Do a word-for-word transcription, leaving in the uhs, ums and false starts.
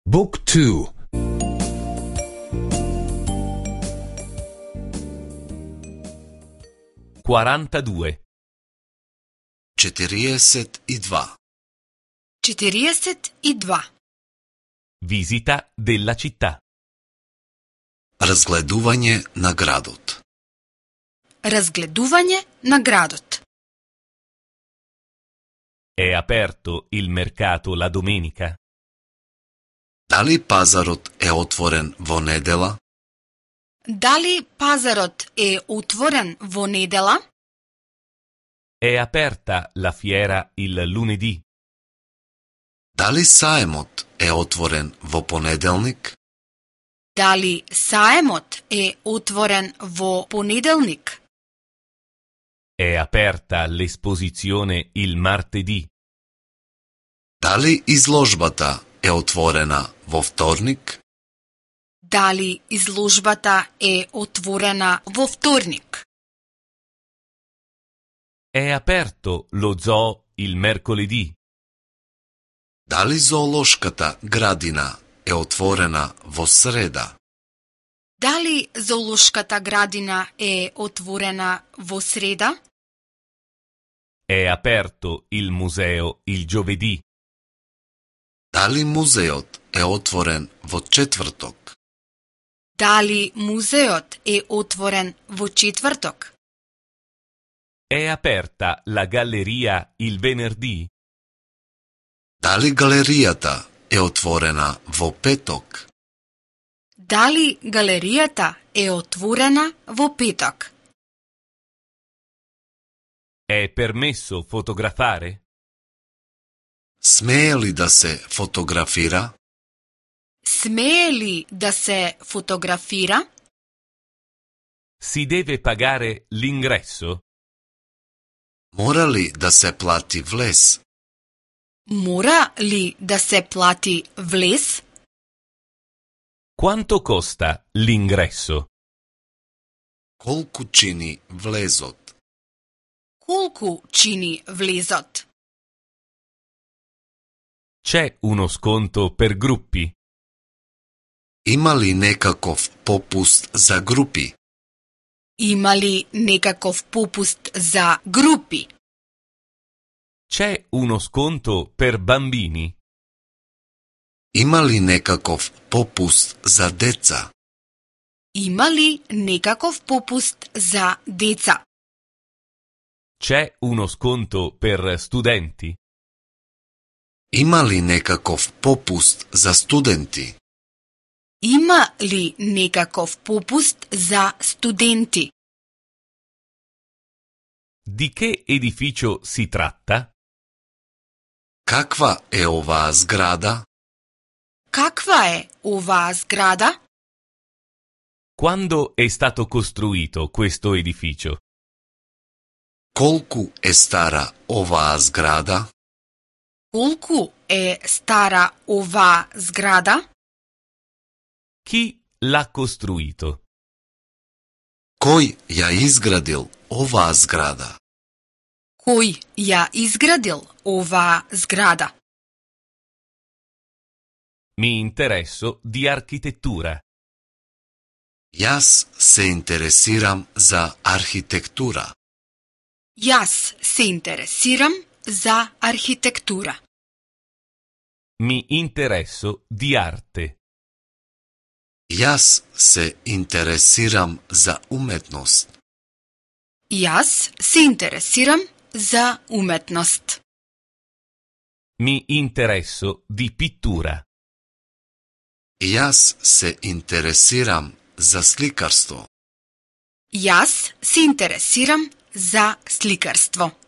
Book two. quarantadue. четириесет и два. четириесет и два. Visita della città. Разгледување на градот. Разгледување на градот. È aperto il mercato la domenica? Дали пазарот е отворен во недела? Дали пазарот е отворен во недела? È aperta la fiera il lunedì? Дали саемот е отворен во понеделник? Дали саемот е отворен во понеделник? È aperta l'esposizione il martedì? Дали изложбата е отворена во вторник? Дали изложбата е отворена во вторник? È aperto lo zoo il mercoledì? Дали зоолошката градина е отворена во среда? Дали зоолошката градина е отворена во среда? È aperto il museo il giovedì? Дали музеот е отворен во четврток? Дали музеот е отворен во четврток? È aperta la galleria il venerdì? Дали галеријата е отворена во петок? Дали галеријата е отворена во петок? È permesso fotografare? Смее ли да се фотографира? Смее ли да се фотографира? Si deve pagare l'ingresso? Мора ли да се плати влез? Мора ли да се плати влез? Quanto costa l'ingresso? Колку чини влезот? Колку чини влезот? C'è uno sconto per gruppi? Има ли некаков попуст за групи? Има ли некаков попуст за групи? C'è uno sconto per bambini? Има ли некаков попуст за деца? Има ли некаков попуст за деца? C'è uno sconto per studenti? Има ли некаков попуст за студенти? Има ли некаков попуст за студенти? Di che edificio si tratta? Каква е оваа зграда? Каква е оваа зграда? Quando è stato costruito questo edificio? Колку е стара оваа зграда? Колку е стара оваа зграда? Chi l'ha costruito? Кој ја изградил оваа зграда? Кој ја изградил оваа зграда? Mi interesso di architettura. Јас се интересирам за архитектура. Јас се интересирам за архитектура. Mi interesso di arte. Јас се интересирам за уметност. Јас се интересирам за уметност. Mi interesso di pittura. Јас се интересирам за сликарство. Јас се интересирам за сликарство.